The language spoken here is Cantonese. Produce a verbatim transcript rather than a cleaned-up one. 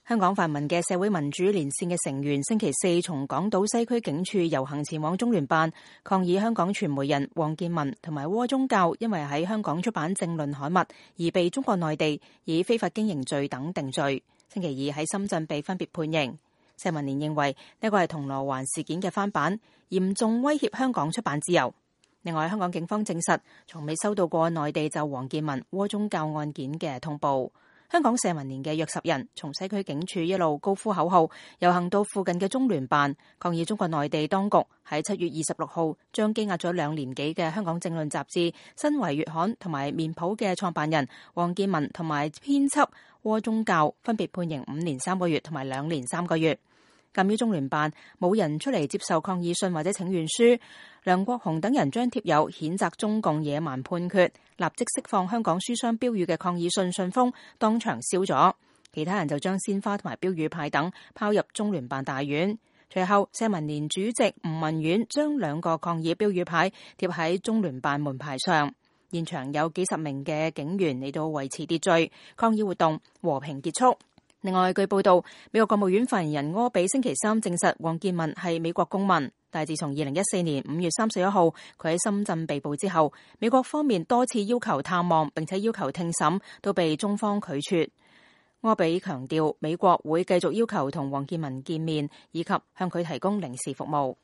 香港泛民嘅社會民主連線嘅成員星期四從港島西區警署遊行前往中聯辦，抗議香港傳媒人王建民同埋窩宗教因為喺香港出版政論刊物而被中國內地以非法經營罪等定罪。星期二喺深圳被分別判刑。社民連認為呢個係銅鑼灣事件嘅翻版，嚴重威脅香港出版自由。另外，香港警方證實從未收到過內地就王建民窩宗教案件嘅通報。香港社民連嘅約十人從西區警署一路高呼口號，遊行到附近嘅中聯辦，抗議中國內地當局喺七月二十六號將羈押咗兩年幾嘅香港政論雜誌《新維月刊》同埋面譜嘅創辦人王建民同埋編輯窩宗教分別判刑五年三個月同埋兩年三個月。鑑於中聯辦冇人出嚟接受抗議信或者請願書，梁國雄等人將貼有譴責中共野蠻判決、立即釋放香港書商標語嘅抗議信信封當場燒咗，其他人就將鮮花同埋標語牌等拋入中聯辦大院。隨後，社民連主席吳文遠將兩個抗議標語牌貼喺中聯辦門牌上，現場有幾十名嘅警員嚟到維持秩序，抗議活動和平結束。另外，據報道，美國國務院發言人柯比星期三證實王建民係美國公民，但係自從二零一四年五月三十一號佢喺深圳被捕之後，美國方面多次要求探望並且要求聽審，都被中方拒絕。柯比強調，美國會繼續要求同王建民見面，以及向佢提供領事服務。